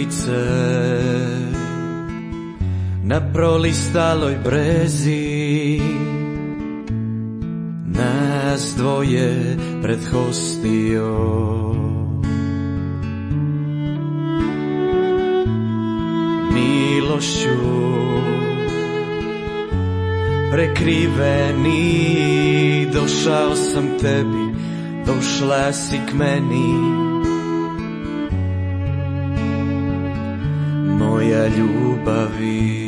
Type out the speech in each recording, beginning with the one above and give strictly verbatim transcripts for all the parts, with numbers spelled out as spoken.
Grlice na prolistaloj brezi, nas dvoje pred hostijom. Milošću prekriveni, došao sam tebi, došla si k meni, moja ljubavi.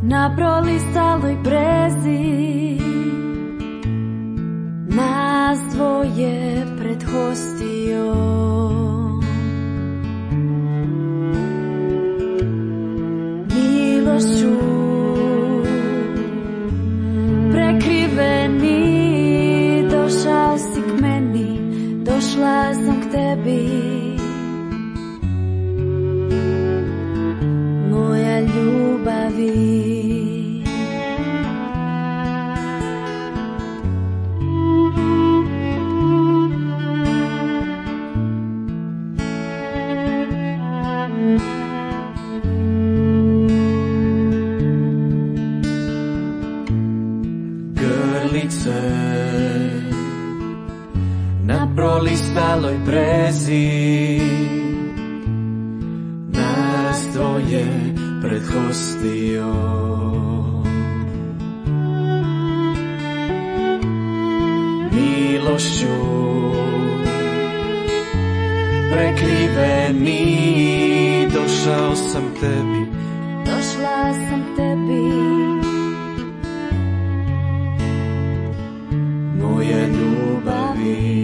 Na prolistaloj brezi, nas dvoje pred hostijom. Milošću prekriveni, došao si k meni, došla sam k tebi, moja ljubavi. Na prolistaloj brezi, nas dvoje pred hostijom. Milošću prekriveni, došao sam tebi, došla sam tebi, moja ljubavi.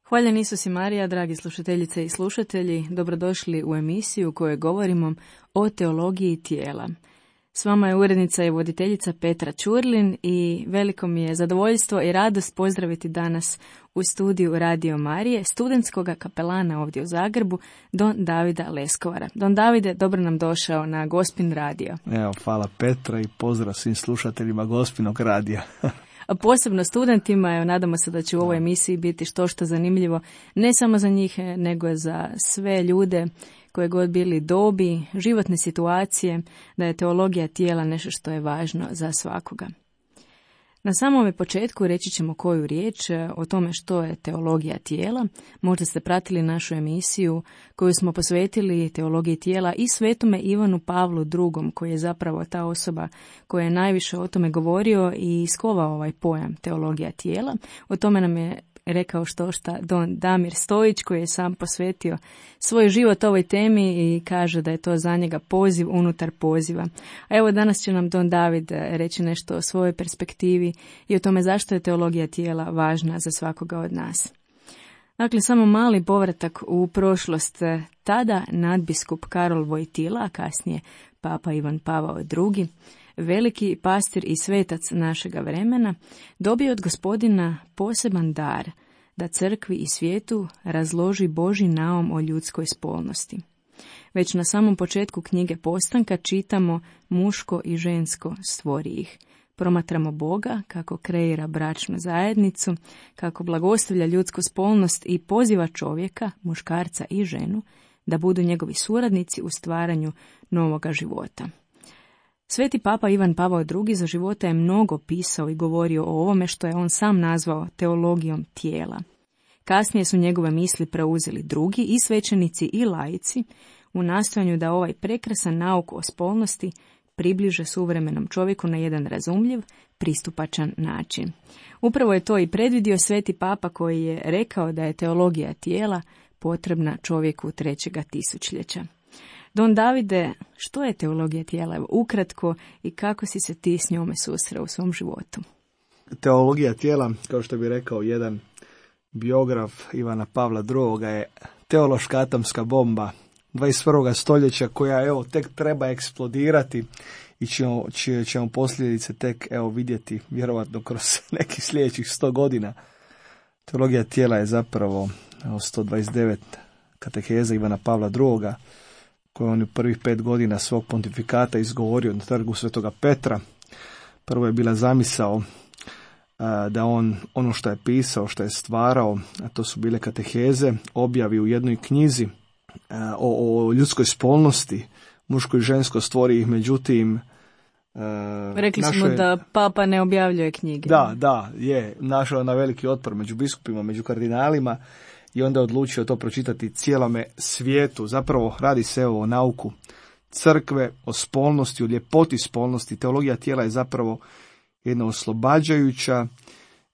Hvaljen Isus i Marija, dragi slušateljice i slušatelji, dobrodošli u emisiju u kojoj govorimo o teologiji tijela. S vama je urednica i voditeljica Petra Ćurlin i veliko mi je zadovoljstvo i radost pozdraviti danas u studiju Radio Marije studentskog kapelana ovdje u Zagrebu, don Davida Leskovara. Don Davide, dobro nam došao na Gospin radio. Evo, hvala Petra i pozdrav svim slušateljima Gospinog radija. A posebno studentima, evo, nadamo se da će u ovoj emisiji biti što što zanimljivo, ne samo za njih, nego za sve ljude koje god bili dobi, životne situacije, da je teologija tijela nešto što je važno za svakoga. Na samome početku reći ćemo koju riječ o tome što je teologija tijela. Možda ste pratili našu emisiju koju smo posvetili teologiji tijela i svetome Ivanu Pavlu drugom, koji je zapravo ta osoba koja je najviše o tome govorio i iskovao ovaj pojam teologija tijela. O tome nam je rekao što šta don Damir Stojić, koji je sam posvetio svoj život ovoj temi i kaže da je to za njega poziv unutar poziva. A evo danas će nam don David reći nešto o svojoj perspektivi i o tome zašto je teologija tijela važna za svakoga od nas. Dakle, samo mali povratak u prošlost. Tada nadbiskup Karol Vojtila, a kasnije papa Ivan Pavao drugi, veliki pastir i svetac našega vremena, dobio od Gospodina poseban dar da crkvi i svijetu razloži Božji naum o ljudskoj spolnosti. Već na samom početku knjige Postanka čitamo muško i žensko stvori ih, Promatramo Boga kako kreira bračnu zajednicu, kako blagostavlja ljudsku spolnost i poziva čovjeka, muškarca i ženu, da budu njegovi suradnici u stvaranju novoga života. Sveti papa Ivan Pavao drugi za života je mnogo pisao i govorio o ovome što je on sam nazvao teologijom tijela. Kasnije su njegove misli preuzeli drugi i svećenici i laici u nastojanju da ovaj prekrasan nauk o spolnosti približe suvremenom čovjeku na jedan razumljiv, pristupačan način. Upravo je to i predvidio sveti papa koji je rekao da je teologija tijela potrebna čovjeku trećega tisućljeća. Don Davide, što je teologija tijela? Evo, ukratko, i kako si se ti s njome susreo u svom životu? Teologija tijela, kao što bi rekao jedan biograf Ivana Pavla drugoga, je teološka atomska bomba dvadeset prvog stoljeća koja evo tek treba eksplodirati i ćemo, čije ćemo posljedice tek evo vidjeti vjerojatno kroz nekih sljedećih sto godina. Teologija tijela je zapravo evo, sto dvadeset devet kateheza Ivana Pavla drugoga koje on u prvih pet godina svog pontifikata izgovorio na trgu Svetoga Petra. Prvo je bila zamisao a, da on ono što je pisao, što je stvarao, a to su bile kateheze, objavi u jednoj knjizi a, o, o ljudskoj spolnosti, muško i žensko, stvori ih, međutim a, rekli smo je, da papa ne objavljuje knjige. Da, da, je našao na veliki otpor među biskupima, među kardinalima, i onda je odlučio to pročitati cijelome svijetu. Zapravo radi se o nauku crkve, o spolnosti, o ljepoti spolnosti. Teologija tijela je zapravo jedna oslobađajuća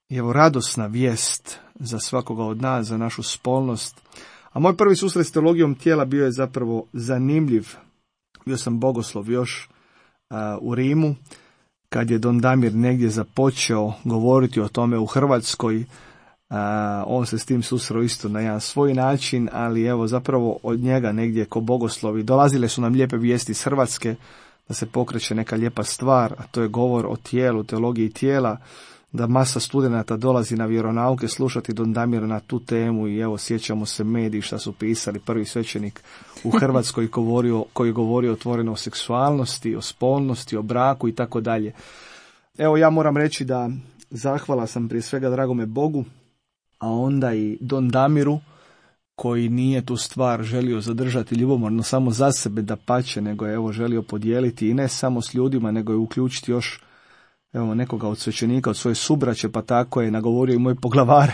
i evo radosna vijest za svakoga od nas, za našu spolnost. A moj prvi susret s teologijom tijela bio je zapravo zanimljiv. Bio sam bogoslov još a, u Rimu, kad je Don Damir negdje započeo govoriti o tome u Hrvatskoj. A, on se s tim susreo isto na jedan svoj način, ali evo zapravo od njega negdje ko bogoslovi dolazile su nam lijepe vijesti iz Hrvatske da se pokreće neka lijepa stvar, a to je govor o tijelu, teologiji tijela, da masa studenata dolazi na vjeronauke slušati Don Damira na tu temu i evo sjećamo se mediji šta su pisali, prvi svećenik u Hrvatskoj govorio, koji je govorio otvoreno o seksualnosti, o spolnosti, o braku i tako dalje. Evo ja moram reći da zahvala sam prije svega dragome Bogu, a onda i Don Damiru, koji nije tu stvar želio zadržati ljubomorno samo za sebe, da pače, nego je evo želio podijeliti i ne samo s ljudima, nego je uključiti još evo nekoga od svećenika, od svoje subraće, pa tako je nagovorio i moje poglavare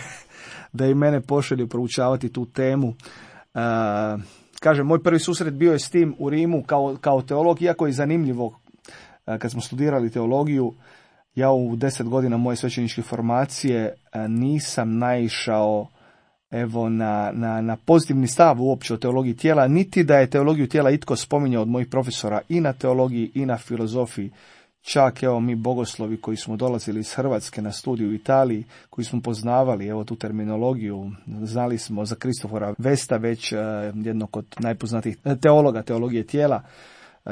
da i mene pošalju proučavati tu temu. E, kažem, moj prvi susret bio je s tim u Rimu kao, kao teolog, iako je zanimljivo e, kad smo studirali teologiju. Ja u deset godina moje svećeničke formacije nisam naišao evo na, na, na pozitivni stav uopće o teologiji tijela, niti da je teologiju tijela itko spominjao od mojih profesora i na teologiji i na filozofiji. Čak evo mi bogoslovi koji smo dolazili iz Hrvatske na studiju u Italiji, koji smo poznavali evo tu terminologiju, znali smo za Kristofora Vesta, već jednog od najpoznatijih teologa teologije tijela,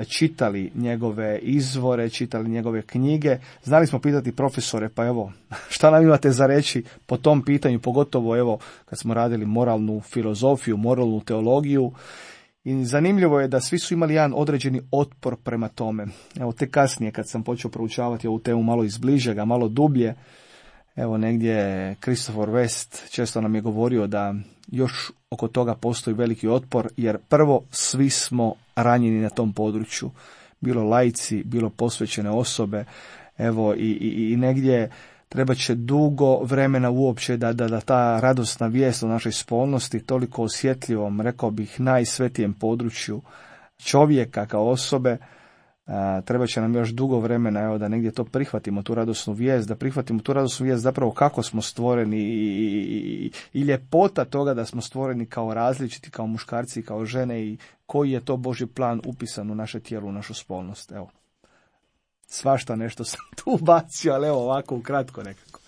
čitali njegove izvore, čitali njegove knjige, znali smo pitati profesore, pa evo, šta nam imate za reći po tom pitanju, pogotovo evo kad smo radili moralnu filozofiju, moralnu teologiju. I zanimljivo je da svi su imali jedan određeni otpor prema tome. Evo te kasnije kad sam počeo proučavati ovu temu malo izbližega, malo dublje, evo negdje Christopher West često nam je govorio da još oko toga postoji veliki otpor, jer prvo svi smo ranjeni na tom području, bilo laici, bilo posvećene osobe, evo i, i, i negdje treba će dugo vremena uopće da, da, da ta radosna vijest o našoj spolnosti, toliko osjetljivom, rekao bih najsvetijem području čovjeka kao osobe, a, treba će nam još dugo vremena evo, da negdje to prihvatimo, tu radosnu vijest, da prihvatimo tu radosnu vijest zapravo kako smo stvoreni i, i, i ljepota toga da smo stvoreni kao različiti, kao muškarci i kao žene i koji je to Božji plan upisan u naše tijelo, u našu spolnost. Evo, svašta nešto sam tu bacio, ali evo ovako ukratko nekako.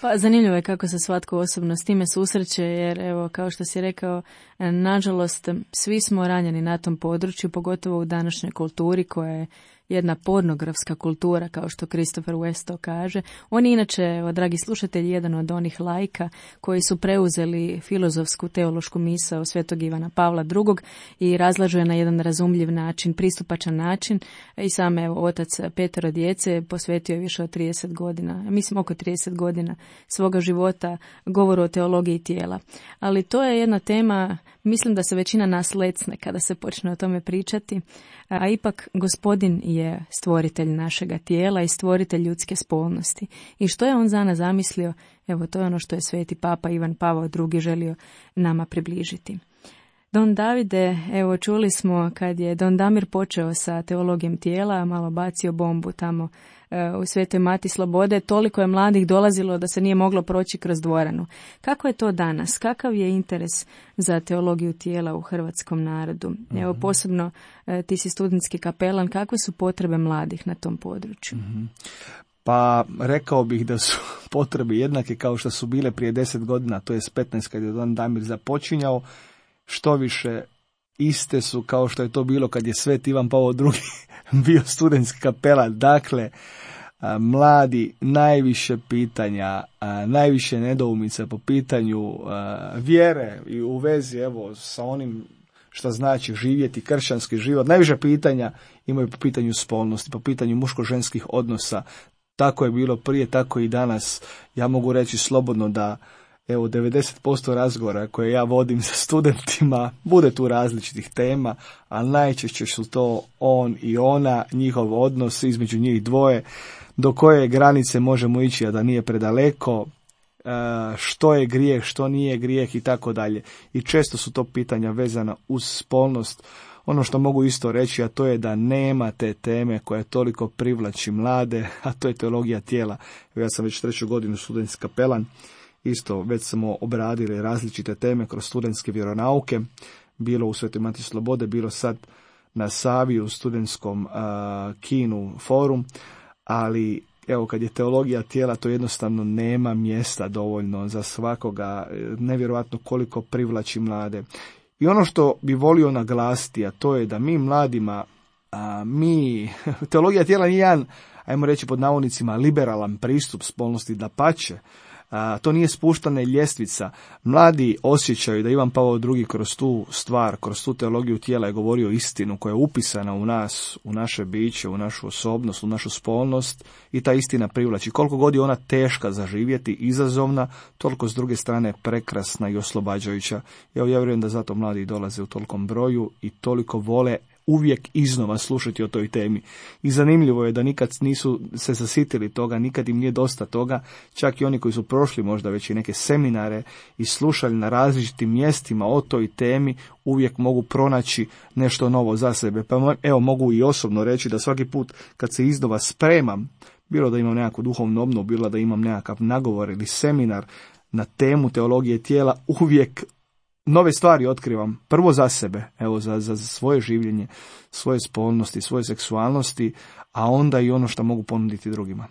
Pa zanimljivo je kako se svatko osobno s time susreće, jer evo kao što si rekao, nažalost svi smo ranjeni na tom području, pogotovo u današnjoj kulturi koja je jedna pornografska kultura, kao što Christopher West to kaže. On je inače, evo, dragi slušatelji, jedan od onih laika koji su preuzeli filozofsku teološku misao Svetog Ivana Pavla drugog i razlažu je na jedan razumljiv način, pristupačan način. I sam, evo, otac petero djece posvetio je više od trideset godina, mislim oko trideset godina svoga života govoru o teologiji tijela. Ali to je jedna tema, mislim da se većina nas lecne kada se počne o tome pričati, a ipak Gospodin je stvoritelj našega tijela i stvoritelj ljudske spolnosti. I što je on za nas zamislio, evo, to je ono što je sveti papa Ivan Pavao drugi želio nama približiti. Don Davide, evo, čuli smo kad je Don Damir počeo sa teologijom tijela, malo bacio bombu tamo u Svetoj Mati Slobode, toliko je mladih dolazilo da se nije moglo proći kroz dvoranu. Kako je to danas? Kakav je interes za teologiju tijela u hrvatskom narodu? Mm-hmm. Evo, posebno ti si studentski kapelan, kakve su potrebe mladih na tom području? Mm-hmm. Pa rekao bih da su potrebe jednake kao što su bile prije deset godina, to je petnaest kad je Don Damir započinjao, što više iste su kao što je to bilo kad je Sveti Ivan Pavao drugi bio studentski kapelan. Dakle, a, mladi najviše pitanja, a, najviše nedoumica po pitanju a, vjere i u vezi, evo, sa onim što znači živjeti kršćanski život. Najviše pitanja imaju po pitanju spolnosti, po pitanju muško-ženskih odnosa. Tako je bilo prije, tako i danas. Ja mogu reći slobodno da evo, devedeset posto razgovora koje ja vodim sa studentima, bude tu različitih tema, ali najčešće su to on i ona, njihov odnos između njih dvoje, do koje granice možemo ići, a da nije predaleko, što je grijeh, što nije grijeh i tako dalje. I često su to pitanja vezana uz spolnost. Ono što mogu isto reći, a to je da nema te teme koja toliko privlači mlade, a to je teologija tijela. Ja sam već treću godinu studentski kapelan. Isto, već smo obradili različite teme kroz studentske vjeronauke, bilo u Svetoj Mati Slobode, bilo sad na Savi u studentskom uh, kinu forum, ali evo, kad je teologija tijela, to jednostavno nema mjesta dovoljno za svakoga, nevjerojatno koliko privlači mlade. I ono što bi volio naglasiti, a to je da mi mladima, a, mi, teologija tijela nije jedan, ajmo reći pod navodnicima, liberalan pristup spolnosti, dapače. A, to nije spuštana ljestvica. Mladi osjećaju da Ivan Pavao drugi kroz tu stvar, kroz tu teologiju tijela je govorio istinu koja je upisana u nas, u naše biće, u našu osobnost, u našu spolnost i ta istina privlači. Koliko god je ona teška za živjeti, izazovna, toliko s druge strane prekrasna i oslobađajuća. Evo, ja vjerujem da zato mladi dolaze u tolikom broju i toliko vole uvijek iznova slušati o toj temi. I zanimljivo je da nikad nisu se zasitili toga, nikad im nije dosta toga, čak i oni koji su prošli možda već i neke seminare i slušali na različitim mjestima o toj temi, uvijek mogu pronaći nešto novo za sebe. Pa evo, mogu i osobno reći da svaki put kad se iznova spremam, bilo da imam nekakvu duhovnu obnovu, bilo da imam nekakav nagovor ili seminar na temu teologije tijela, uvijek nove stvari otkrivam, prvo za sebe, evo za, za svoje življenje, svoje spolnosti, svoje seksualnosti, a onda i ono što mogu ponuditi drugima.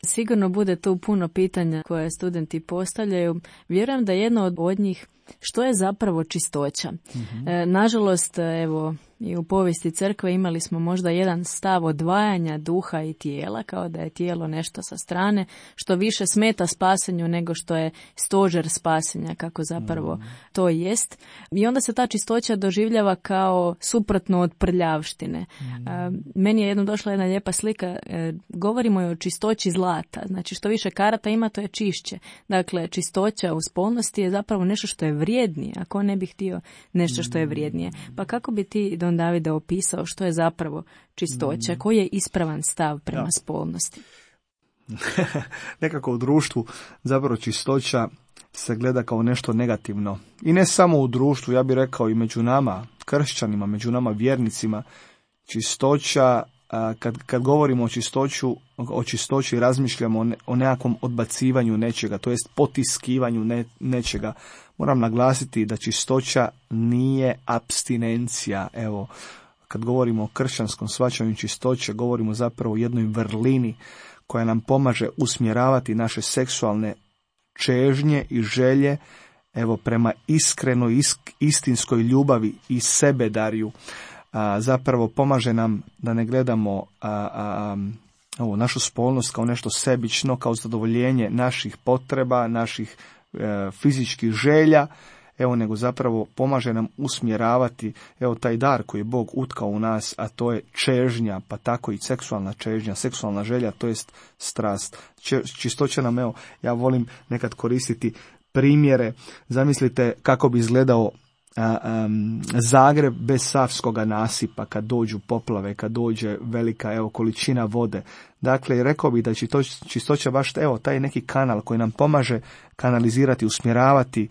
Sigurno bude tu puno pitanja koje studenti postavljaju. Vjerujem da jedno od njih, što je zapravo čistoća? Mm-hmm. E, nažalost, evo, i u povijesti crkve imali smo možda jedan stav odvajanja duha i tijela, kao da je tijelo nešto sa strane, što više smeta spasenju nego što je stožer spasenja, kako zapravo mm. to jest. I onda se ta čistoća doživljava kao suprotno od prljavštine. Mm. E, meni je jednom došla jedna lijepa slika, e, govorimo o čistoći zlata, znači što više karata ima, to je čišće. Dakle, čistoća u spolnosti je zapravo nešto što je vrijednije, ako ne bi htio nešto što je vrijednije. Pa kako bi ti, Don Davide, opisao što je zapravo čistoća, koji je ispravan stav prema ja. spolnosti? Nekako u društvu zapravo čistoća se gleda kao nešto negativno. I ne samo u društvu, ja bih rekao i među nama, kršćanima, među nama vjernicima, čistoća, kad, kad govorimo o čistoću, o čistoći razmišljamo o, ne, o nekakvom odbacivanju nečega, to jest potiskivanju ne, nečega. Moram naglasiti da čistoća nije apstinencija. Evo, kad govorimo o kršćanskom shvaćanju čistoće, govorimo zapravo o jednoj vrlini koja nam pomaže usmjeravati naše seksualne čežnje i želje, evo, prema iskrenoj, isk, istinskoj ljubavi i sebedarju. a, zapravo pomaže nam da ne gledamo a, a, ovu našu spolnost kao nešto sebično, kao zadovoljenje naših potreba, naših e, fizičkih želja, evo, nego zapravo pomaže nam usmjeravati, evo, taj dar koji je Bog utkao u nas, a to je čežnja, pa tako i seksualna čežnja, seksualna želja, to jest strast. Če, čistoća nam, evo, ja volim nekad koristiti primjere. Zamislite kako bi izgledao a, a, Zagreb bez Savskoga nasipa, kad dođu poplave, kad dođe velika, evo, količina vode. Dakle, rekao bih da čistoća baš, evo, taj neki kanal koji nam pomaže kanalizirati, usmjeravati.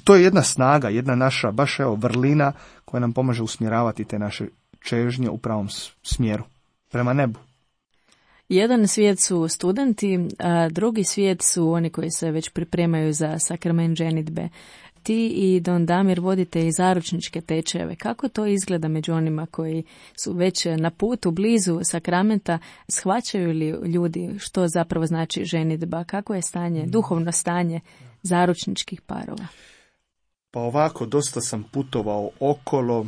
To je jedna snaga, jedna naša, baš, evo, vrlina koja nam pomaže usmjeravati te naše čežnje u pravom smjeru, prema nebu. Jedan svijet su studenti, a drugi svijet su oni koji se već pripremaju za sakrament ženidbe. Ti i Don Damir vodite i zaručničke tečajeve. Kako to izgleda među onima koji su već na putu, blizu sakramenta? Shvaćaju li ljudi što zapravo znači ženidba? Kako je stanje, duhovno stanje zaručničkih parova? Pa ovako, dosta sam putovao okolo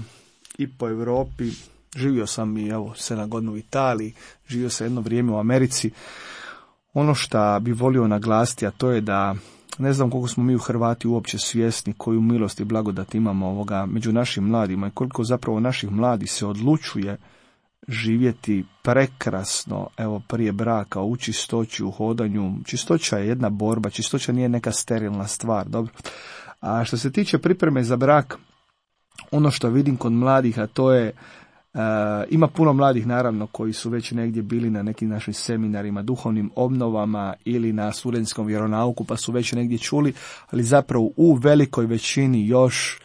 i po Europi. Živio sam i evo sedam godina u Italiji, živio sam jedno vrijeme u Americi. Ono što bi volio naglasiti, a to je da ne znam koliko smo mi u Hrvati uopće svjesni koju milost i blagodat imamo ovoga među našim mladima i koliko zapravo naših mladih se odlučuje živjeti prekrasno, evo, prije braka, u čistoći, u hodanju. Čistoća je jedna borba, čistoća nije neka sterilna stvar, dobro. A što se tiče pripreme za brak, ono što vidim kod mladih, a to je Uh, ima puno mladih, naravno, koji su već negdje bili na nekim našim seminarima, duhovnim obnovama ili na studentskom vjeronauku, pa su već negdje čuli, ali zapravo u velikoj većini još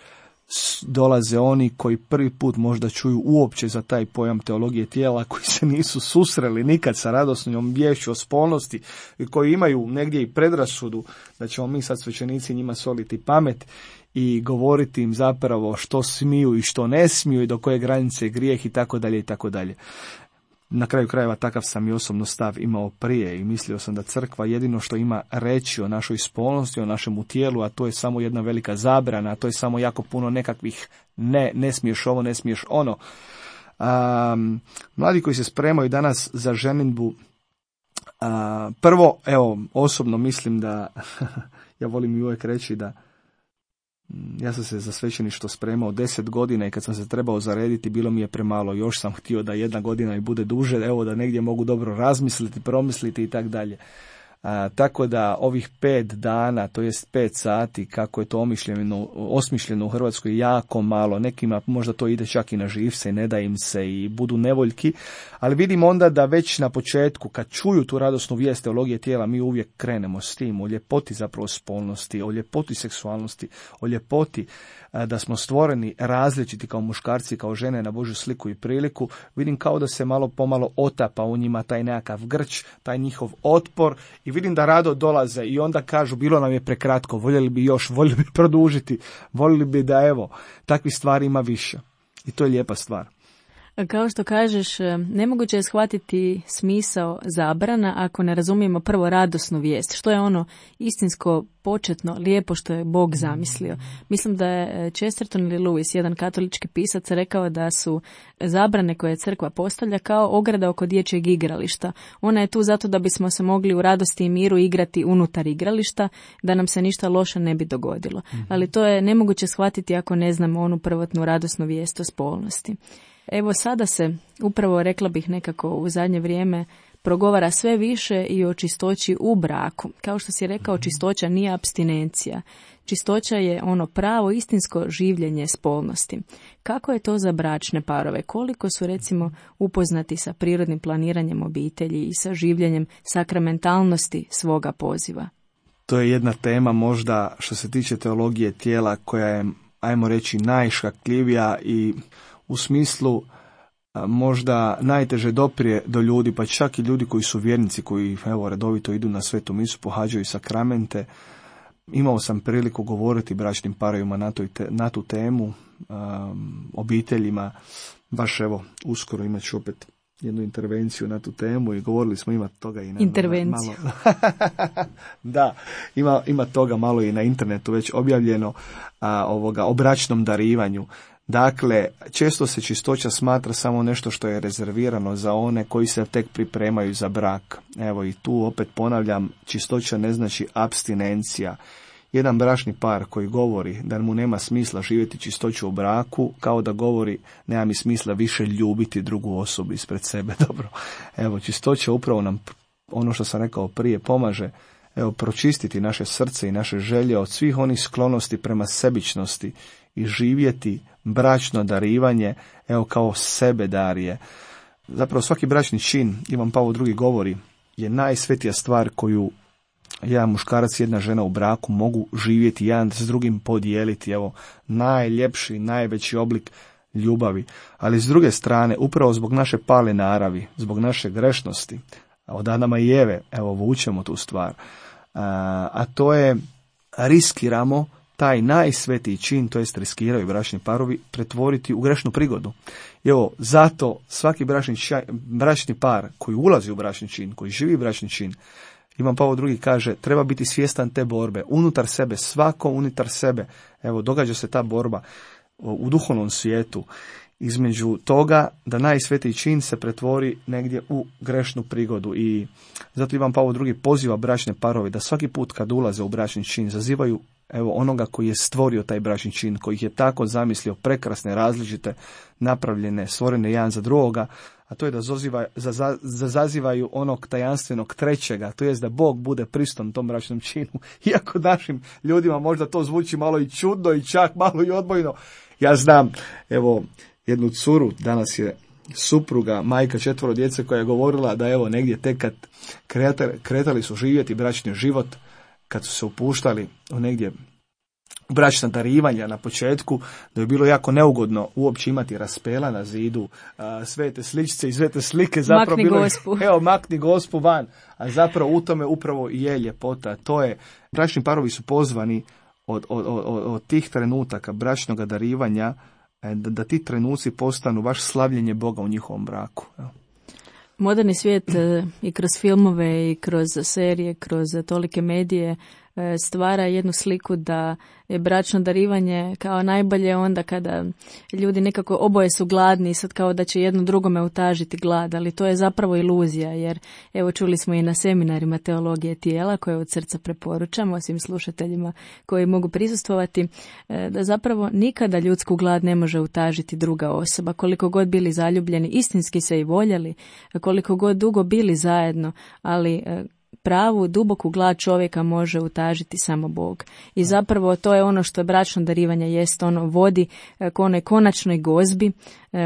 dolaze oni koji prvi put možda čuju uopće za taj pojam teologije tijela, koji se nisu susreli nikad sa radosnom viješću o spolnosti i koji imaju negdje i predrasudu da ćemo mi sad svećenici njima soliti pamet i govoriti im zapravo što smiju i što ne smiju i do koje granice je grijeh i tako dalje i tako dalje. Na kraju krajeva takav sam i osobno stav imao prije i mislio sam da crkva jedino što ima reći o našoj spolnosti, o našemu tijelu, a to je samo jedna velika zabrana, a to je samo jako puno nekakvih ne, ne smiješ ovo, ne smiješ ono. Um, mladi koji se spremaju danas za ženidbu, uh, prvo, evo, osobno mislim da, ja volim i uvijek reći da ja sam se za svećeništvo spremao deset godina i kad sam se trebao zarediti bilo mi je premalo, još sam htio da jedna godina i bude duže, evo da negdje mogu dobro razmisliti, promisliti i tak dalje. A, tako da ovih pet dana, to jest pet sati, kako je to omišljeno, osmišljeno u Hrvatskoj, jako malo. Nekima možda to ide čak i na živce, ne da im se i budu nevoljki, ali vidim onda da već na početku, kad čuju tu radosnu vijest teologije tijela, mi uvijek krenemo s tim, o ljepoti zapravo spolnosti, o ljepoti seksualnosti, o ljepoti a, da smo stvoreni različiti kao muškarci, kao žene na Božju sliku i priliku. Vidim kao da se malo pomalo otapa u njima taj nekakav grč, taj njihov otpor i vidim da rado dolaze i onda kažu bilo nam je prekratko, voljeli bi još, voljeli bi produžiti, voljeli bi da evo, takvih stvari ima više. I to je lijepa stvar. Kao što kažeš, nemoguće je shvatiti smisao zabrana ako ne razumijemo prvo radosnu vijest. Što je ono istinsko, početno, lijepo što je Bog zamislio. Mislim da je Chesterton ili Lewis, jedan katolički pisac, rekao da su zabrane koje crkva postavlja kao ograda oko dječjeg igrališta. Ona je tu zato da bismo se mogli u radosti i miru igrati unutar igrališta, da nam se ništa loše ne bi dogodilo. Ali to je nemoguće shvatiti ako ne znamo onu prvotnu radosnu vijest o spolnosti. Evo sada se, upravo rekla bih nekako u zadnje vrijeme, progovara sve više i o čistoći u braku. Kao što si rekao, čistoća nije apstinencija. Čistoća je ono pravo istinsko življenje spolnosti. Kako je to za bračne parove? Koliko su recimo upoznati sa prirodnim planiranjem obitelji i sa življenjem sakramentalnosti svoga poziva? To je jedna tema možda što se tiče teologije tijela koja je, ajmo reći, najškakljivija i u smislu a, možda najteže doprije do ljudi, pa čak i ljudi koji su vjernici, koji evo redovito idu na svetu misu, pohađaju sakramente. Imao sam priliku govoriti bračnim parovima na, toj te, na tu temu, a, obiteljima, baš evo uskoro imat ću opet jednu intervenciju na tu temu i govorili smo ima toga i na intervenciju. Malo, da, ima, ima toga malo i na internetu već objavljeno a, ovoga, o bračnom darivanju. Dakle, često se čistoća smatra samo nešto što je rezervirano za one koji se tek pripremaju za brak. Evo i tu opet ponavljam, čistoća ne znači apstinencija. Jedan bračni par koji govori da mu nema smisla živjeti čistoću u braku, kao da govori nema mi smisla više ljubiti drugu osobu ispred sebe. Dobro, evo čistoća upravo nam, ono što sam rekao prije, pomaže evo pročistiti naše srce i naše želje od svih onih sklonosti prema sebičnosti i živjeti bračno darivanje, evo kao sebe darije. Zapravo svaki bračni čin, Ivan Pavao drugi govori, je najsvetija stvar koju jedan muškarac i jedna žena u braku mogu živjeti, jedan s drugim podijeliti, evo, najljepši, najveći oblik ljubavi. Ali s druge strane, upravo zbog naše pale naravi, zbog naše grešnosti, od Adama i Eve, evo, vučemo tu stvar, a, a to je, riskiramo taj najsvetiji čin, to jest riskiraju bračni parovi, pretvoriti u grešnu prigodu. I evo, zato svaki bračni, ča, bračni par koji ulazi u bračni čin, koji živi bračni čin, Ivan Pavao drugi kaže, treba biti svjestan te borbe, unutar sebe, svako unutar sebe. Evo, događa se ta borba u duhovnom svijetu između toga da najsvetiji čin se pretvori negdje u grešnu prigodu. I zato Ivan Pavao drugi poziva bračne parove da svaki put kad ulaze u bračni čin zazivaju evo onoga koji je stvorio taj bračni čin, koji ih je tako zamislio, prekrasne, različite, napravljene, stvorene jedan za drugoga, a to je da zaziva, za, za, zazivaju onog tajanstvenog trećega, to jest da Bog bude prisutan tom bračnom činu. Iako našim ljudima možda to zvuči malo i čudno i čak malo i odbojno. Ja znam, evo, jednu curu, danas je supruga, majka četvoro djece, koja je govorila da evo negdje tek kad kretali, kretali su živjeti bračni život, kad su se upuštali u negdje bračna darivanja na početku, da je bilo jako neugodno uopće imati raspela na zidu, a, sve te sličice i sve te slike, zapravo makni bilo gospu. Evo, makni gospu van, a zapravo u tome upravo i je ljepota. To je, bračni parovi su pozvani od, od, od, od tih trenutaka bračnog darivanja, da, da ti trenuci postanu baš slavljenje Boga u njihovom braku. Evo. Moderni svijet i kroz filmove i kroz serije, kroz tolike medije stvara jednu sliku da je bračno darivanje kao najbolje onda kada ljudi nekako oboje su gladni i sad kao da će jedno drugome utažiti glad, ali to je zapravo iluzija, jer evo čuli smo i na seminarima teologije tijela koje od srca preporučamo svim slušateljima koji mogu prisustvovati, da zapravo nikada ljudsku glad ne može utažiti druga osoba, koliko god bili zaljubljeni, istinski se i voljeli, koliko god dugo bili zajedno, ali pravu, duboku glad čovjeka može utažiti samo Bog. I zapravo to je ono što bračno darivanje jest, ono vodi k onoj konačnoj gozbi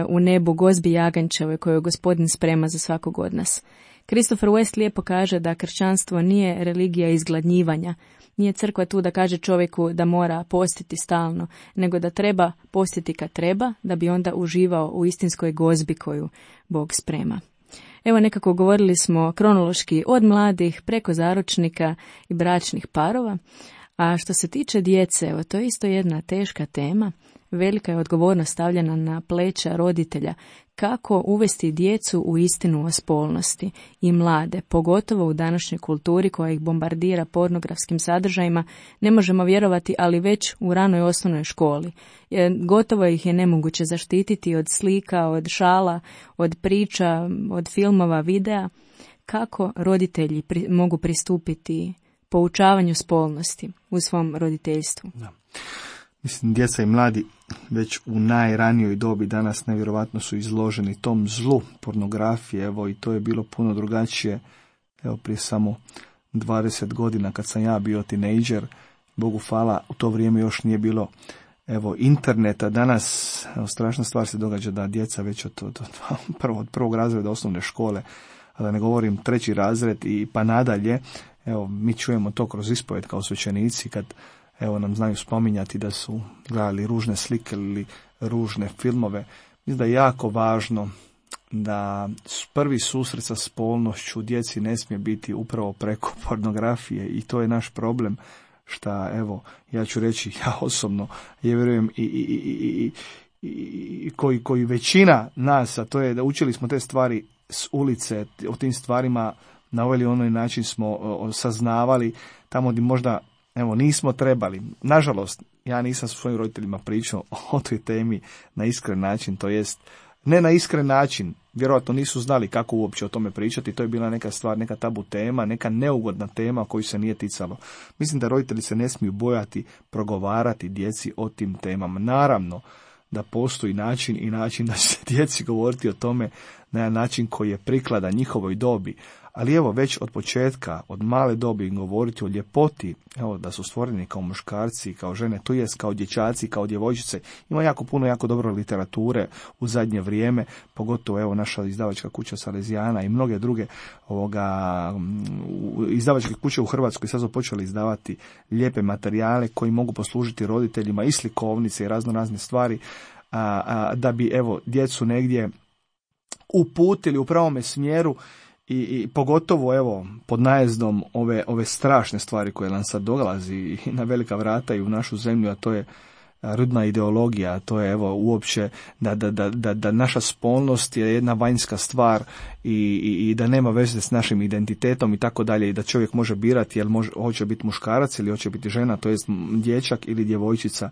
u nebu, gozbi jaganjčeve koju Gospodin sprema za svakog od nas. Christopher West lijepo kaže da kršćanstvo nije religija izgladnjivanja. Nije crkva tu da kaže čovjeku da mora postiti stalno, nego da treba postiti kad treba, da bi onda uživao u istinskoj gozbi koju Bog sprema. Evo nekako govorili smo kronološki od mladih preko zaručnika i bračnih parova, a što se tiče djece, evo to je isto jedna teška tema, velika je odgovornost stavljena na pleća roditelja, kako uvesti djecu u istinu o spolnosti i mlade, pogotovo u današnjoj kulturi koja ih bombardira pornografskim sadržajima, ne možemo vjerovati, ali već u ranoj osnovnoj školi. Gotovo ih je nemoguće zaštititi od slika, od šala, od priča, od filmova, videa. Kako roditelji pri, mogu pristupiti poučavanju spolnosti u svom roditeljstvu? Da. Mislim, djeca i mladi već u najranijoj dobi danas nevjerovatno su izloženi tom zlu pornografije, evo i to je bilo puno drugačije, evo prije samo dvadeset godina kad sam ja bio tinejdžer, Bogu hvala, u to vrijeme još nije bilo evo interneta, danas evo, strašna stvar se događa da djeca već od, od, od, prvo, od prvog razreda osnovne škole, a da ne govorim treći razred i pa nadalje, evo mi čujemo to kroz ispoved kao svećenici kad evo nam znaju spominjati da su gledali ružne slike ili ružne filmove. Mislim da je jako važno da prvi susret sa spolnošću djeci ne smije biti upravo preko pornografije i to je naš problem šta, evo, ja ću reći ja osobno, ja vjerujem i, i, i, i, i koji, koji većina nas, a to je da učili smo te stvari s ulice, o tim stvarima na ovaj ili onaj način smo o, saznavali tamo gdje možda Evo, nismo trebali. Nažalost, ja nisam s svojim roditeljima pričao o toj temi na iskren način, to jest ne na iskren način, vjerojatno nisu znali kako uopće o tome pričati, to je bila neka stvar, neka tabu tema, neka neugodna tema koju se nije ticalo. Mislim da roditelji se ne smiju bojati progovarati djeci o tim temama. Naravno da postoji način i način da će se djeci govoriti o tome na jedan način koji je prikladan njihovoj dobi. Ali evo, već od početka, od male dobi im govoriti o ljepoti, evo, da su stvoreni kao muškarci, kao žene, to jest kao dječaci, kao djevojčice. Ima jako puno, jako dobro literature u zadnje vrijeme, pogotovo evo naša izdavačka kuća Salezijana i mnoge druge ovoga, izdavačke kuće u Hrvatskoj sad su počeli izdavati lijepe materijale koji mogu poslužiti roditeljima i slikovnice i razno razne stvari, a, a, da bi evo djecu negdje uputili u pravome smjeru. I, i pogotovo evo pod najezdom ove ove strašne stvari koje nam sad dolazi i na velika vrata i u našu zemlju, a to je rodna ideologija, a to je evo uopće da, da, da, da, da naša spolnost je jedna vanjska stvar i, i, i da nema veze s našim identitetom i tako dalje, i da čovjek može birati jel može, hoće biti muškarac ili hoće biti žena, to jest dječak ili djevojčica.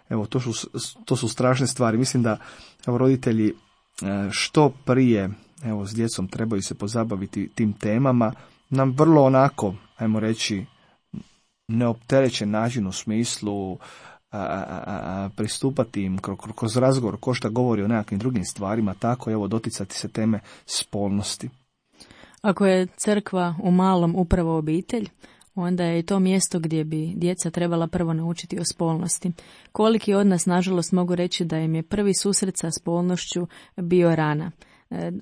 Evo to su, to su strašne stvari. Mislim da evo roditelji što prije evo s djecom trebaju se pozabaviti tim temama na vrlo onako, ajmo reći, neopterećen način u smislu a, a, a, pristupati im kroz, kroz razgovor ko šta govori o nekakvim drugim stvarima, tako evo doticati se teme spolnosti. Ako je crkva u malom upravo obitelj, onda je i to mjesto gdje bi djeca trebala prvo naučiti o spolnosti. Koliki od nas, nažalost, mogu reći da im je prvi susret sa spolnošću bio rana.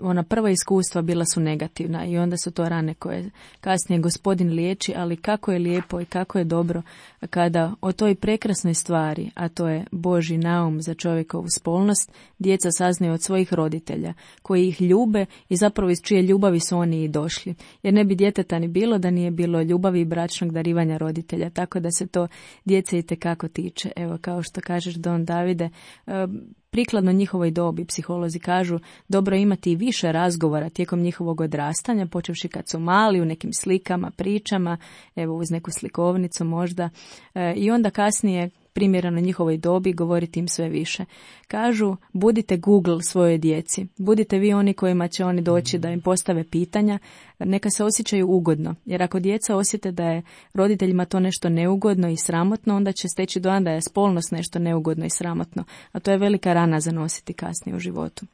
Ona prva iskustva bila su negativna i onda su to rane koje kasnije Gospodin liječi, ali kako je lijepo i kako je dobro kada o toj prekrasnoj stvari, a to je Božji naum za čovjekovu spolnost, djeca saznaju od svojih roditelja koji ih ljube i zapravo iz čije ljubavi su oni i došli. Jer ne bi djeteta ni bilo da nije bilo ljubavi i bračnog darivanja roditelja, tako da se to djece itekako tiče. Evo, kao što kažeš, Don Davide, prikladno njihovoj dobi, psiholozi kažu, dobro imati i više razgovora tijekom njihovog odrastanja, počevši kad su mali, u nekim slikama, pričama, evo uz neku slikovnicu možda, e, i onda kasnije primjereno njihovoj dobi govoriti im sve više. Kažu, budite Google svojoj djeci, budite vi oni kojima će oni doći da im postave pitanja, neka se osjećaju ugodno, jer ako djeca osjete da je roditeljima to nešto neugodno i sramotno, onda će steći dojam da je spolnost nešto neugodno i sramotno, a to je velika rana za nositi kasnije u životu.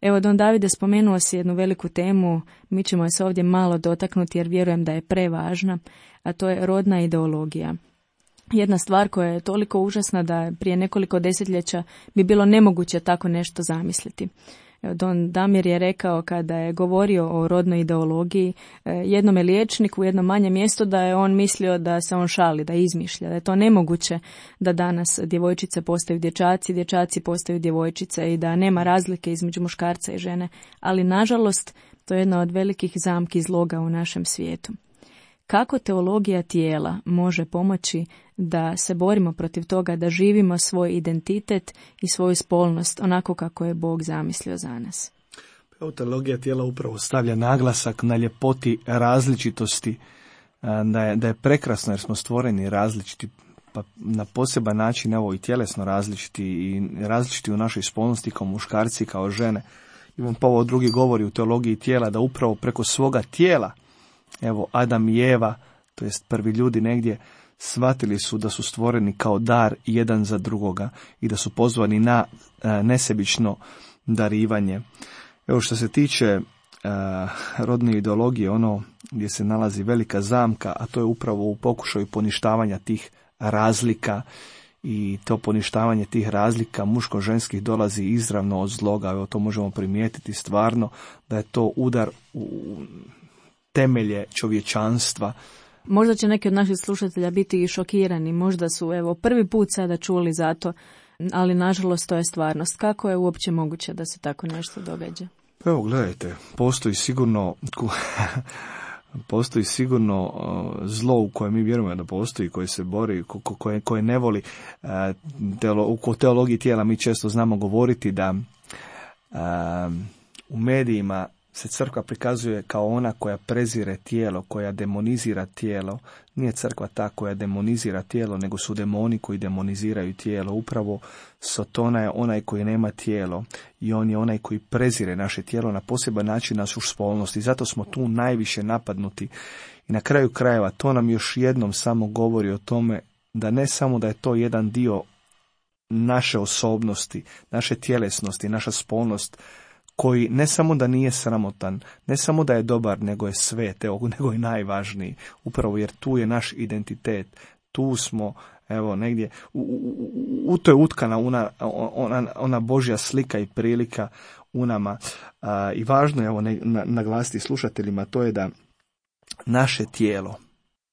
Evo, Don Davide, spomenuo si jednu veliku temu, mi ćemo se ovdje malo dotaknuti jer vjerujem da je prevažna, a to je rodna ideologija. Jedna stvar koja je toliko užasna da prije nekoliko desetljeća bi bilo nemoguće tako nešto zamisliti. Don Damir je rekao kada je govorio o rodnoj ideologiji jednome liječniku u jednom manjem mjestu da je on mislio da se on šali, da izmišlja, da je to nemoguće da danas djevojčice postaju dječaci, dječaci postaju djevojčice i da nema razlike između muškarca i žene, ali nažalost to je jedna od velikih zamki zloga u našem svijetu. Kako teologija tijela može pomoći da se borimo protiv toga, da živimo svoj identitet i svoju spolnost onako kako je Bog zamislio za nas? Teologija tijela upravo stavlja naglasak na ljepoti različitosti, da je, da je prekrasno jer smo stvoreni različiti, pa na poseban način evo i tjelesno različiti i različiti u našoj spolnosti kao muškarci, kao žene. Ivan Pavao drugi govori u teologiji tijela da upravo preko svoga tijela, evo Adam i Eva, to jest prvi ljudi negdje, shvatili su da su stvoreni kao dar jedan za drugoga i da su pozvani na e, nesebično darivanje. Evo što se tiče e, rodne ideologije, ono gdje se nalazi velika zamka, a to je upravo u pokušaju poništavanja tih razlika, i to poništavanje tih razlika muško-ženskih dolazi izravno od zloga. Evo to možemo primijetiti stvarno da je to udar u temelje čovječanstva. Možda će neki od naših slušatelja biti i šokirani, možda su evo prvi put sada čuli za to, ali nažalost to je stvarnost. Kako je uopće moguće da se tako nešto događa? Pa evo gledajte, postoji sigurno postoji sigurno zlo u koje mi vjerujemo da postoji, koje se bori, koje, koje ne voli. U teologiji tijela mi često znamo govoriti da u medijima se crkva prikazuje kao ona koja prezire tijelo, koja demonizira tijelo. Nije crkva ta koja demonizira tijelo, nego su demoni koji demoniziraju tijelo. Upravo Sotona je onaj koji nema tijelo i on je onaj koji prezire naše tijelo na poseban način našu spolnost i zato smo tu najviše napadnuti. I na kraju krajeva to nam još jednom samo govori o tome da ne samo da je to jedan dio naše osobnosti, naše tjelesnosti, naša spolnost, koji ne samo da nije sramotan, ne samo da je dobar, nego je svet, evo, nego je najvažniji. Upravo jer tu je naš identitet, tu smo, evo, negdje, u, u, u to je utkana ona, ona, ona Božja slika i prilika u nama. A, I važno je, evo, ne, na, naglasiti slušateljima, to je da naše tijelo,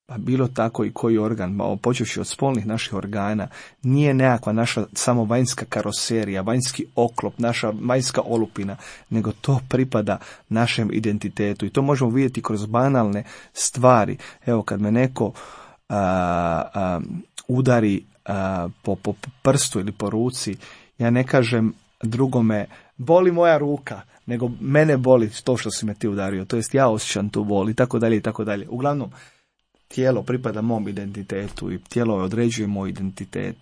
pa bilo tako i koji organ, počevši od spolnih naših organa, nije nekakva naša samo vanjska karoserija, vanjski oklop, naša vanjska olupina, nego to pripada našem identitetu. I to možemo vidjeti kroz banalne stvari. Evo, kad me neko a, a, udari a, po, po prstu ili po ruci, ja ne kažem drugome, boli moja ruka, nego mene boli to što si me ti udario. To jest ja osjećam tu bol i tako dalje i tako dalje. Uglavnom, tijelo pripada mom identitetu i tijelo određuje moj identitet.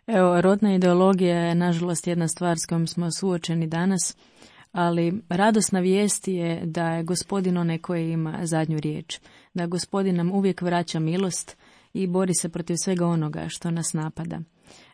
Evo, rodna ideologija je nažalost jedna stvar s kojom smo suočeni danas, ali radosna vijest je da je Gospodin onaj koji ima zadnju riječ, da Gospodin nam uvijek vraća milost i bori se protiv svega onoga što nas napada.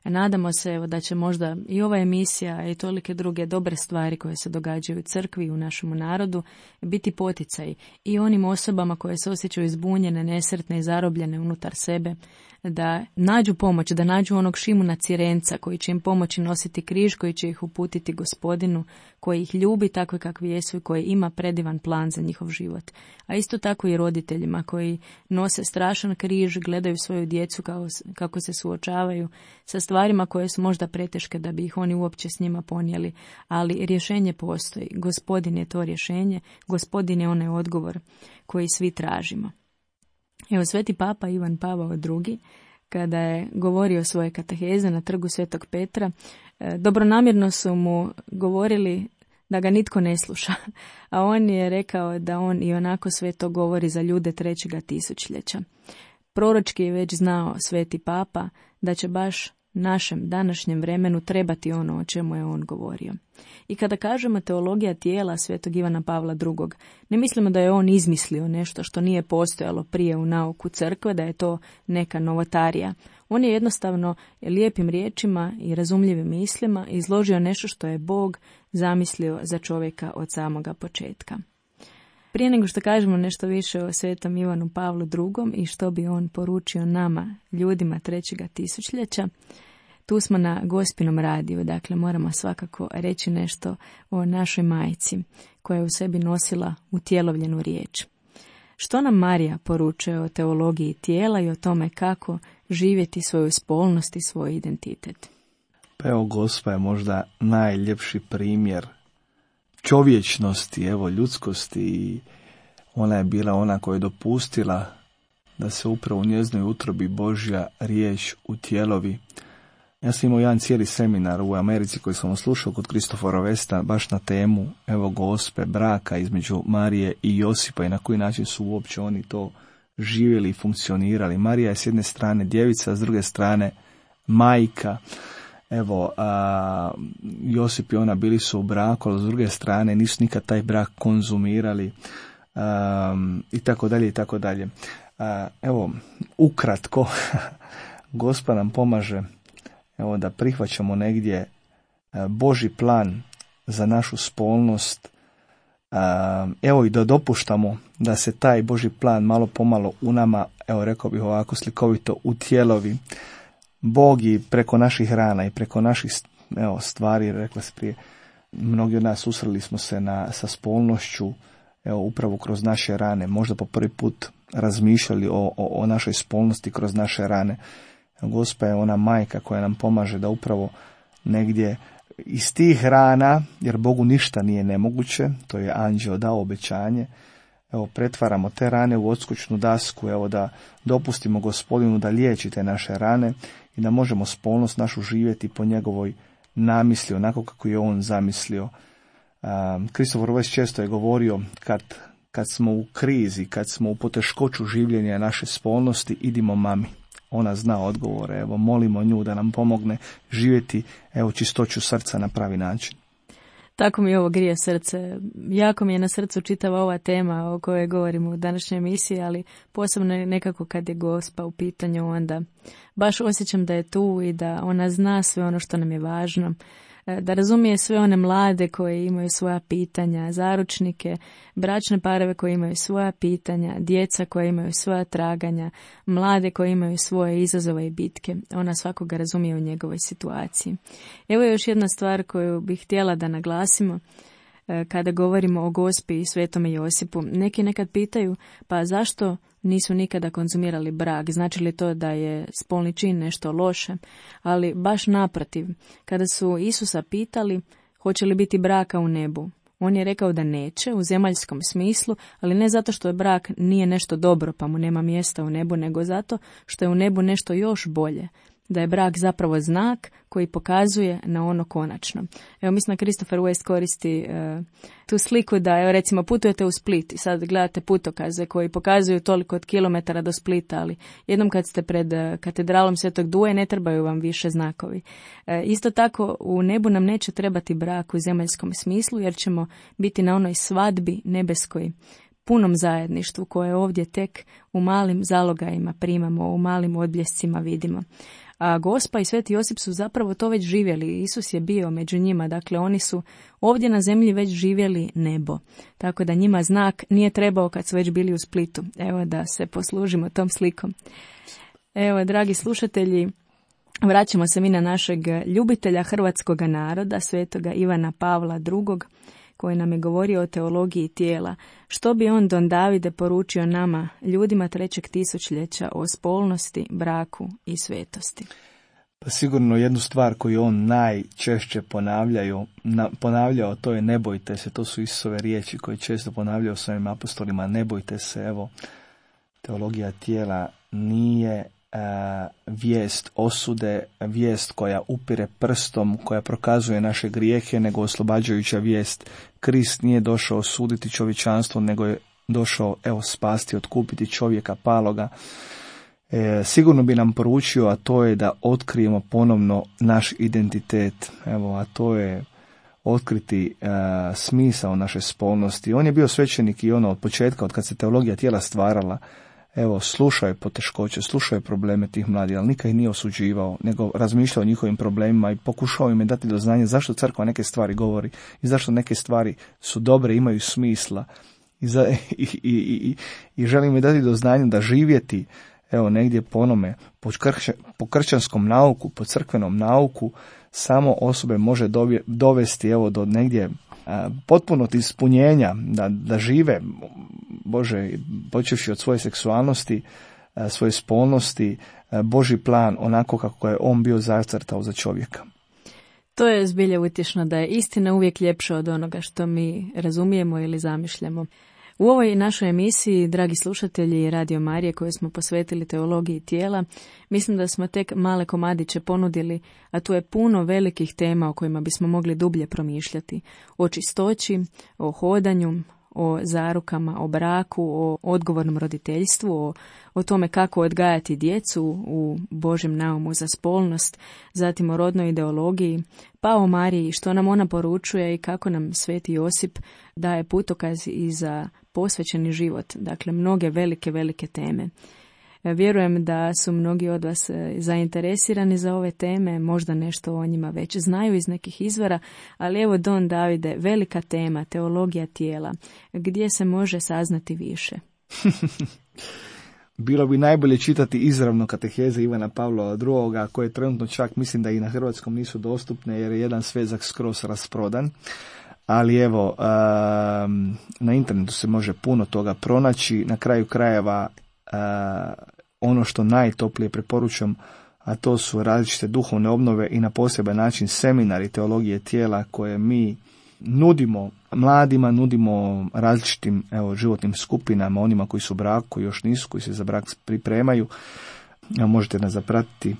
Nadamo se evo, da će možda i ova emisija i tolike druge dobre stvari koje se događaju u crkvi i u našemu narodu biti poticaj i onim osobama koje se osjećaju zbunjene, nesretne i zarobljene unutar sebe, da nađu pomoć, da nađu onog Šimuna Cirenca koji će im pomoći nositi križ, koji će ih uputiti Gospodinu, koji ih ljubi takve kakvi jesu i koji ima predivan plan za njihov život. A isto tako i roditeljima koji nose strašan križ, gledaju svoju djecu kao, kako se suočavaju sa stvarima koje su možda preteške da bi ih oni uopće s njima ponijeli, ali rješenje postoji. Gospodin je to rješenje, Gospodin je onaj odgovor koji svi tražimo. Evo, sveti papa Ivan Pavao drugi, kada je govorio svoje kateheze na trgu Svetog Petra, dobronamjerno su mu govorili da ga nitko ne sluša, a on je rekao da on i onako sve to govori za ljude trećega tisućljeća. Proročki je već znao sveti papa da će baš našem današnjem vremenu trebati ono o čemu je on govorio. I kada kažemo teologija tijela svetog Ivana Pavla drugog, ne mislimo da je on izmislio nešto što nije postojalo prije u nauku crkve, da je to neka novotarija. On je jednostavno lijepim riječima i razumljivim mislima izložio nešto što je Bog zamislio za čovjeka od samoga početka. Prije nego što kažemo nešto više o svetom Ivanu Pavlu drugom i što bi on poručio nama, ljudima trećega tisućljeća, tu smo na Gospinom radiju, dakle moramo svakako reći nešto o našoj majci koja je u sebi nosila utjelovljenu riječ. Što nam Marija poručuje o teologiji tijela i o tome kako živjeti svoju spolnost i svoj identitet? Pa evo, Gospa je možda najljepši primjer čovječnosti, evo, ljudskosti, i ona je bila ona koja je dopustila da se upravo u njezinoj utrobi Božja riječ utjelovi. Ja sam imao jedan cijeli seminar u Americi koji sam slušao kod Kristofora Vesta baš na temu, evo, Gospe, braka između Marije i Josipa i na koji način su uopće oni to živjeli i funkcionirali. Marija je s jedne strane djevica, s druge strane majka. Evo, a, Josip i ona bili su u braku, ali s druge strane nisu nikad taj brak konzumirali, a, i tako dalje i tako dalje. A, evo, ukratko, Gospa nam pomaže, evo, da prihvaćamo negdje Božji plan za našu spolnost, a, evo, i da dopuštamo da se taj Božji plan malo pomalo u nama, evo, rekao bih ovako slikovito, utjelovi. Bog i preko naših rana i preko naših, evo, stvari, rekla se prije, mnogi od nas susreli smo se na, sa spolnošću, evo, upravo kroz naše rane, možda po prvi put razmišljali o, o, o našoj spolnosti kroz naše rane. Gospa je ona majka koja nam pomaže da upravo negdje iz tih rana, jer Bogu ništa nije nemoguće, to je anđeo dao obećanje, evo, pretvaramo te rane u odskočnu dasku, evo, da dopustimo Gospodinu da liječi te naše rane i da možemo spolnost našu živjeti po njegovoj namisli, onako kako je on zamislio. Christopher West često je govorio kad, kad smo u krizi, kad smo u poteškoću življenja naše spolnosti, idimo mami. Ona zna odgovore, evo molimo nju da nam pomogne živjeti evo čistoću srca na pravi način. Tako mi ovo grije srce. Jako mi je na srcu čitava ova tema o kojoj govorimo u današnjoj emisiji, ali posebno nekako kad je Gospa u pitanju, onda baš osjećam da je tu i da ona zna sve ono što nam je važno, da razumije sve one mlade koji imaju svoja pitanja, zaručnike, bračne parove koji imaju svoja pitanja, djeca koja imaju svoja traganja, mlade koji imaju svoje izazove i bitke. Ona svakoga razumije u njegovoj situaciji. Evo je još jedna stvar koju bih htjela da naglasimo kada govorimo o Gospi i Svetome Josipu. Neki nekad pitaju, pa zašto nisu nikada konzumirali brak? Znači li to da je spolni čin nešto loše? Ali baš naprotiv, kada su Isusa pitali hoće li biti braka u nebu, on je rekao da neće u zemaljskom smislu, ali ne zato što je brak nije nešto dobro pa mu nema mjesta u nebu, nego zato što je u nebu nešto još bolje. Da je brak zapravo znak koji pokazuje na ono konačno. Evo, mislim da Christopher West koristi uh, tu sliku da, evo, recimo, putujete u Split i sad gledate putokaze koji pokazuju toliko od kilometara do Splita, ali jednom kad ste pred uh, katedralom Svetog Duje ne trebaju vam više znakovi. Uh, isto tako, u nebu nam neće trebati brak u zemaljskom smislu, jer ćemo biti na onoj svadbi nebeskoj, punom zajedništvu koje ovdje tek u malim zalogajima primamo, u malim odbljescima vidimo. A Gospa i Sveti Josip su zapravo to već živjeli. Isus je bio među njima, dakle oni su ovdje na zemlji već živjeli nebo. Tako da njima znak nije trebao kad su već bili u Splitu. Evo da se poslužimo tom slikom. Evo, dragi slušatelji, vraćamo se mi na našeg ljubitelja hrvatskog naroda, svetoga Ivana Pavla drugog, koji nam je govorio o teologiji tijela. Što bi on, Don Davide, poručio nama, ljudima trećeg tisućljeća, o spolnosti, braku i svetosti? Pa sigurno jednu stvar koju on najčešće ponavljaju, na, ponavljao, to je ne bojte se. To su Isusove riječi koje često ponavljaju svojim apostolima. Ne bojte se, evo, teologija tijela nije vijest osude, vijest koja upire prstom, koja prokazuje naše grijehe, nego oslobađajuća vijest. Krist nije došao osuditi čovječanstvo, nego je došao, evo, spasti, otkupiti čovjeka paloga. E, sigurno bi nam poručio, a to je da otkrijemo ponovno naš identitet, evo, a to je otkriti e, smisao naše spolnosti. On je bio svećenik i ono od početka, od kad se teologija tijela stvarala. Evo, slušao je poteškoće, slušao je probleme tih mladih, ali nikad ih nije osuđivao, nego razmišljao o njihovim problemima i pokušao im je dati do znanja zašto crkva neke stvari govori i zašto neke stvari su dobre, imaju smisla. I, za, i, i, i, i želim mi dati do znanja da živjeti, evo, negdje po onome, po, kršća, po kršćanskom nauku, po crkvenom nauku, samo osobe može dovje, dovesti, evo, do negdje a, potpunog ispunjenja, da, da žive, Bože, počevši od svoje seksualnosti, a, svoje spolnosti, a, Božji plan onako kako je on bio zacrtao za čovjeka. To je zbilja utješno da je istina uvijek ljepša od onoga što mi razumijemo ili zamišljamo. U ovoj našoj emisiji, dragi slušatelji Radio Marije, koju smo posvetili teologiji tijela, mislim da smo tek male komadiće ponudili, a tu je puno velikih tema o kojima bismo mogli dublje promišljati. O čistoći, o hodanju, o zarukama, o braku, o odgovornom roditeljstvu, o, o tome kako odgajati djecu u Božjem naumu za spolnost, zatim o rodnoj ideologiji, pa o Mariji, što nam ona poručuje i kako nam Sveti Josip daje putokaz i za posvećeni život. Dakle, mnoge velike, velike teme. Vjerujem da su mnogi od vas zainteresirani za ove teme, možda nešto o njima već znaju iz nekih izvora, ali evo, Don Davide, velika tema, teologija tijela, gdje se može saznati više? Bilo bi najbolje čitati izravno kateheze Ivana Pavla drugoga, koje trenutno čak mislim da i na hrvatskom nisu dostupne, jer je jedan svezak skroz rasprodan. Ali evo, na internetu se može puno toga pronaći. Na kraju krajeva, ono što najtoplije preporučam, a to su različite duhovne obnove i na poseban način seminari teologije tijela koje mi nudimo mladima, nudimo različitim, evo, životnim skupinama, onima koji su u braku, koji još nisu, koji se za brak pripremaju. Možete nas zapratiti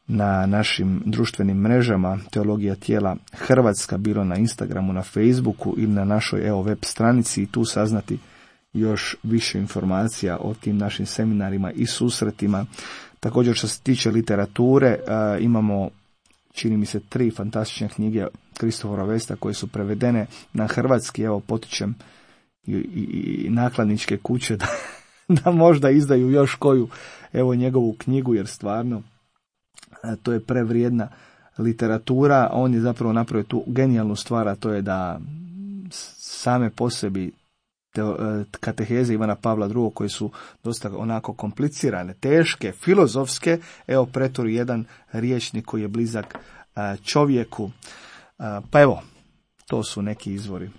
na našim društvenim mrežama Teologija tijela Hrvatska, bilo na Instagramu, na Facebooku ili na našoj evo web stranici i tu saznati još više informacija o tim našim seminarima i susretima. Također što se tiče literature, a, imamo, čini mi se, tri fantastične knjige Kristofera Westa koje su prevedene na hrvatski. Evo, potičem i, i, i nakladničke kuće da, da možda izdaju još koju, evo, njegovu knjigu, jer stvarno a, to je prevrijedna literatura. On je zapravo napravio tu genijalnu stvar, a to je da same po sebi kateheze Ivana Pavla drugog, koje su dosta onako komplicirane, teške, filozofske, evo pretvori jedan rječnik koji je blizak čovjeku. Pa evo, to su neki izvori.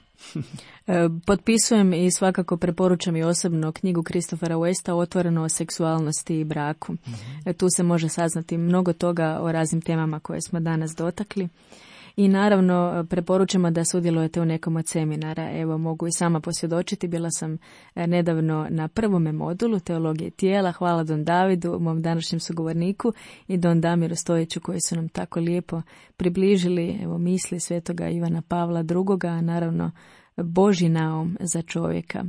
Potpisujem i svakako preporučam i osobno knjigu Kristofera Westa Otvoreno o seksualnosti i braku. Mm-hmm. Tu se može saznati mnogo toga o raznim temama koje smo danas dotakli. I naravno preporučamo da sudjelujete u nekom od seminara. Evo, mogu i sama posvjedočiti, bila sam nedavno na prvome modulu Teologije tijela. Hvala Don Davidu, mom današnjem sugovorniku, i Don Damiru Stojiću, koji su nam tako lijepo približili evo misli svetoga Ivana Pavla drugoga, a naravno Božji naum za čovjeka.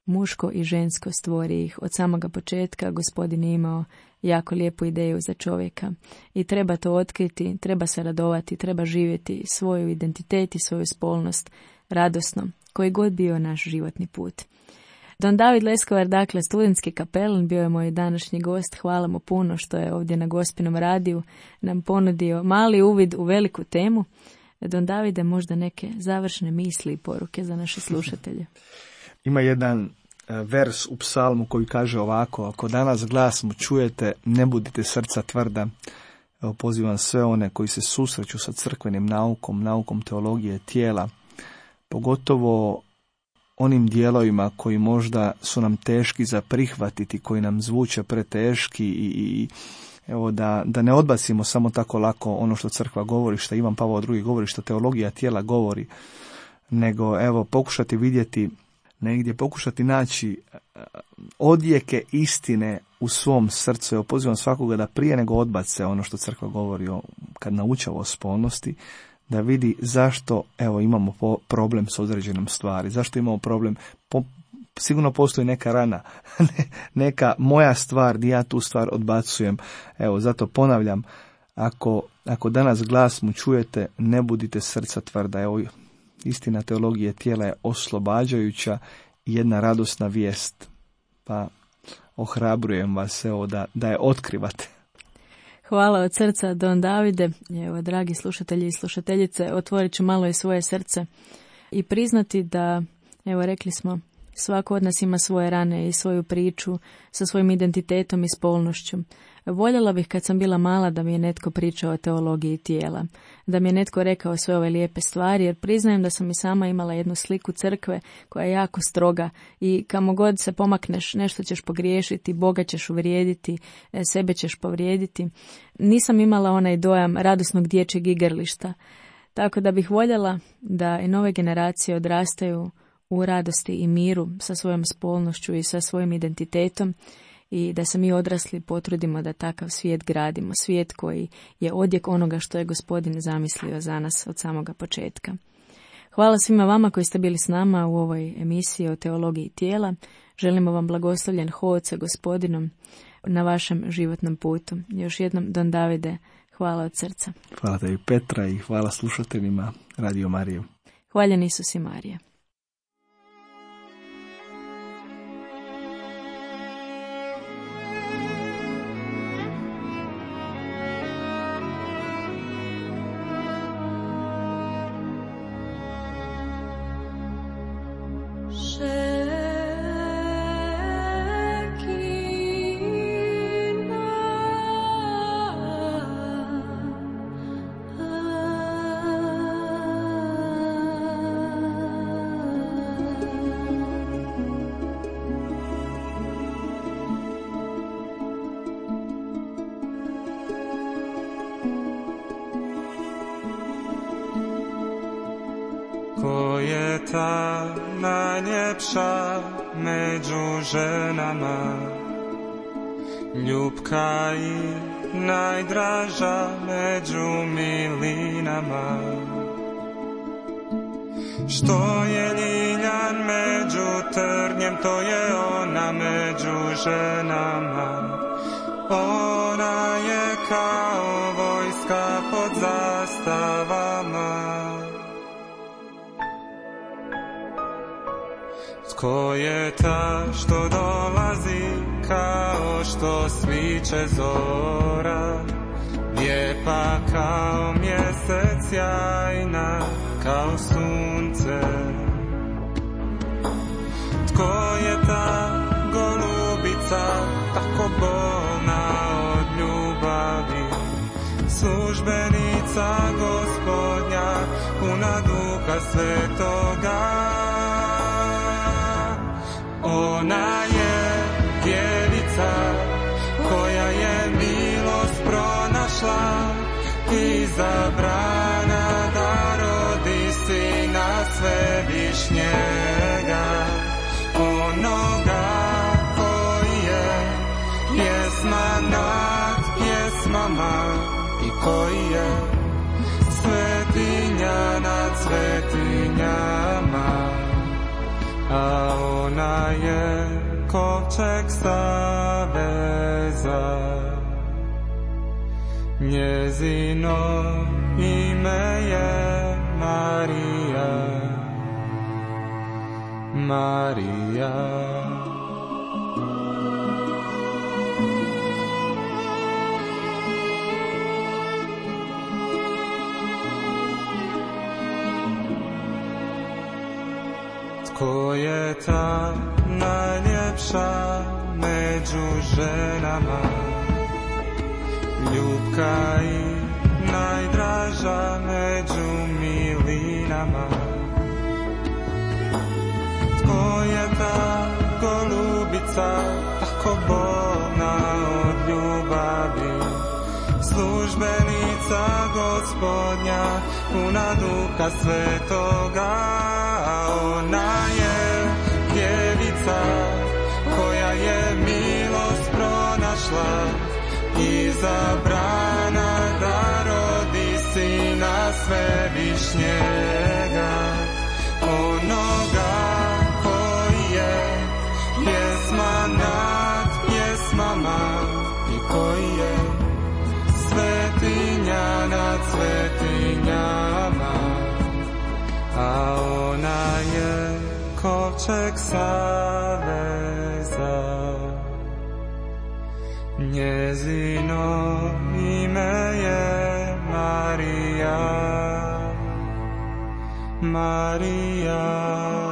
Muško i žensko stvori ih. Od samoga početka Gospodin je imao jako lijepu ideju za čovjeka i treba to otkriti, treba se radovati, treba živjeti svoju identitet i svoju spolnost radosno, koji god bio naš životni put. Don David Leskovar, dakle studentski kapelan, bio je moj današnji gost. Hvala mu puno što je ovdje na Gospinom radiju nam ponudio mali uvid u veliku temu. Don Davide, možda neke završne misli i poruke za naše slušatelje. Ima jedan vers u psalmu koji kaže ovako: ako danas glas mu čujete, ne budite srca tvrda. Evo, pozivam sve one koji se susreću sa crkvenim naukom, naukom teologije tijela, pogotovo onim dijelovima koji možda su nam teški za prihvatiti, koji nam zvuče preteški i, i evo da, da ne odbacimo samo tako lako ono što crkva govori, što Ivan Pavao drugi govori, što teologija tijela govori, nego evo pokušati vidjeti negdje, pokušati naći odjeke istine u svom srcu. Evo, pozivam svakoga da prije nego odbace ono što crkva govori o, kad naučava o spolnosti, da vidi zašto evo imamo po, problem s određenom stvari, zašto imamo problem. Po, sigurno postoji neka rana, neka moja stvar gdje ja tu stvar odbacujem. Evo, zato ponavljam, ako, ako danas glas mu čujete, ne budite srca tvrda. Evo, istina teologije tijela je oslobađajuća i jedna radosna vijest. Pa ohrabrujem vas evo da, da je otkrivate. Hvala od srca, Don Davide. Evo, dragi slušatelji i slušateljice, otvorit ću malo i svoje srce i priznati da, evo, rekli smo, svako od nas ima svoje rane i svoju priču sa svojim identitetom i spolnošću. Voljela bih kad sam bila mala da mi je netko pričao o teologiji tijela, da mi je netko rekao sve ove lijepe stvari, jer priznajem da sam i sama imala jednu sliku crkve koja je jako stroga i kamo god se pomakneš nešto ćeš pogriješiti, Boga ćeš uvrijediti, sebe ćeš povrijediti. Nisam imala onaj dojam radosnog dječjeg igrališta, tako da bih voljela da i nove generacije odrastaju u radosti i miru sa svojom spolnošću i sa svojim identitetom i da se mi odrasli potrudimo da takav svijet gradimo, svijet koji je odjek onoga što je Gospodin zamislio za nas od samoga početka. Hvala svima vama koji ste bili s nama u ovoj emisiji o teologiji tijela. Želimo vam blagoslovljen hod sa Gospodinom na vašem životnom putu. Još jednom, Don Davide, hvala od srca. Hvala tebi, Petra, i hvala slušateljima Radio Mariju. Hvaljen Isus i Marija. Ko je ta najljepša među ženama, ljubka i najdraža među milinama. Što je ljiljan među trnjem, to je ona među ženama. Ona je kao vojska pod zastavama. Tko je ta što dolazi kao što sviće zora, lijepa kao mjesec, sjajna kao sunce? Tko je ta golubica tako bolna od ljubavi, službenica Gospodnja, puna Duha Svetoga? Ona je djevica koja je milost pronašla, izabrana da rodi Sina Svevišnjega, onoga koji je pjesma nad pjesmama i koji je svetinja nad svetinjama. A ona je kovčeg saveza, njezino ime je Marija, Marija. Tko je ta najljepša među ženama, ljubka i najdraža među milinama? Tko je ta golubica tako bolna od ljubavi, službenica Gospodnja, puna Duha Svetoga? Ona je djevica koja je milost pronašla, izabrana da rodi Sina Svevišnjega, onoga koji je pjesma nad pjesmama i koji je svetinja nad svetinjama. A ona je kovčeg saveza, njezino ime je Marija, Marija.